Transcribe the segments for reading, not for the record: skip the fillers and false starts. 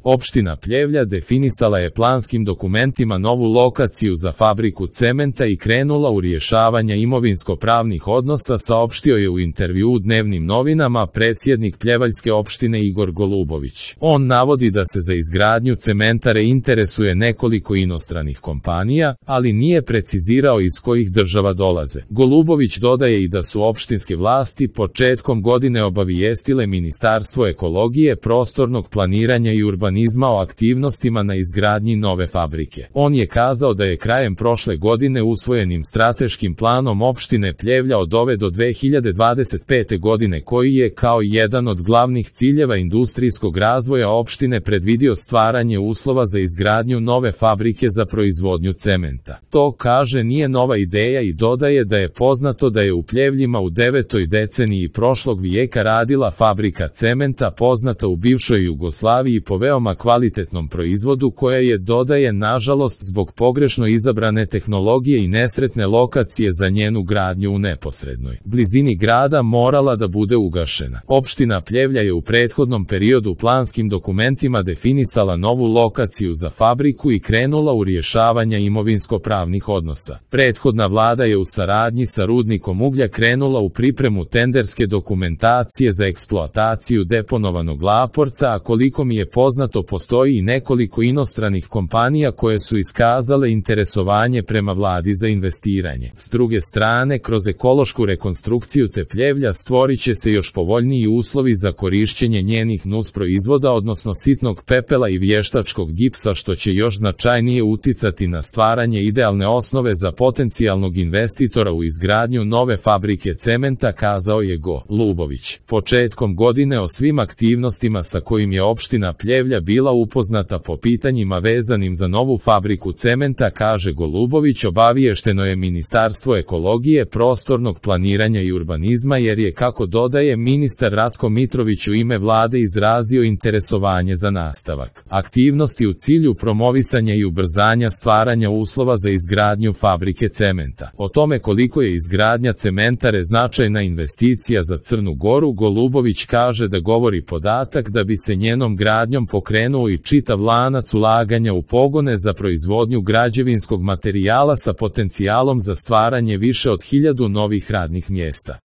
Opština Pljevlja definisala je planskim dokumentima novu lokaciju za fabriku cementa i krenula u rješavanje imovinsko-pravnih odnosa, saopštio je u intervjuu Dnevnim novinama predsjednik Pljevaljske opštine Igor Golubović. On navodi da se za izgradnju cementare interesuje nekoliko inostranih kompanija, ali nije precizirao iz kojih država dolaze. Golubović dodaje i da su opštinske vlasti početkom godine obavijestile Ministarstvo ekologije, prostornog planiranja i urbanizma o aktivnostima na izgradnji nove fabrike. On je kazao da je krajem prošle godine usvojenim strateškim planom opštine Pljevlja od ove do 2025. godine, koji je kao jedan od glavnih ciljeva industrijskog razvoja opštine predvidio stvaranje uslova za izgradnju nove fabrike za proizvodnju cementa. To, kaže, nije nova ideja i dodaje da je poznato da je u Pljevljima u 9. deceniji prošlog vijeka radila fabrika cementa poznata u bivšoj Jugoslaviji po veoma kvalitetnom proizvodu koja je, dodaje, nažalost zbog pogrešno izabrane tehnologije i nesretne lokacije za njenu gradnju u neposrednoj blizini grada morala da bude ugašena. Opština Pljevlja je u prethodnom periodu planskim dokumentima definisala novu lokaciju za fabriku i krenula u rješavanje imovinsko-pravnih odnosa. Prethodna vlada je u saradnji sa rudnikom uglja krenula u pripremu tenderske dokumentacije za eksploataciju deponovanog Laporca, a koliko mi je poznato postoji i nekoliko inostranih kompanija koje su iskazale interesovanje prema vladi za investiranje. S druge strane, kroz ekološku rekonstrukciju te Pljevlja stvorit će se još povoljniji uslovi za korišćenje njenih nusproizvoda, odnosno sitnog pepela i vještačkog gipsa, što će još značajnije uticati na stvaranje idealne osnove za potencijalnog investitora u izgradnju nove fabrike cementa, kazao je Golubović. Početkom godine o svim aktivnostima sa kojim je opština Pljevlja bila upoznata po pitanjima vezanim za novu fabriku cementa, kaže Golubović, obaviješteno je Ministarstvo ekologije, prostornog planiranja i urbanizma, jer je, kako dodaje, ministar Ratko Mitrović u ime vlade izrazio interesovanje za nastavak aktivnosti u cilju promovisanja i ubrzanja stvaranja uslova za izgradnju fabrike cementa. O tome koliko je izgradnja cementare značajna investicija za Crnu Goru, Golubović kaže da govori podatak da bi se njenom gradnjom pokrenuo i čitav lanac ulaganja u pogone za proizvodnju građevinskog materijala sa potencijalom za stvaranje više od 1000 novih radnih mjesta.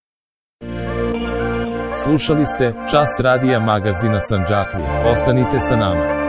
Slušali ste Čas radija magazina Sandžaklija. Ostanite sa nama.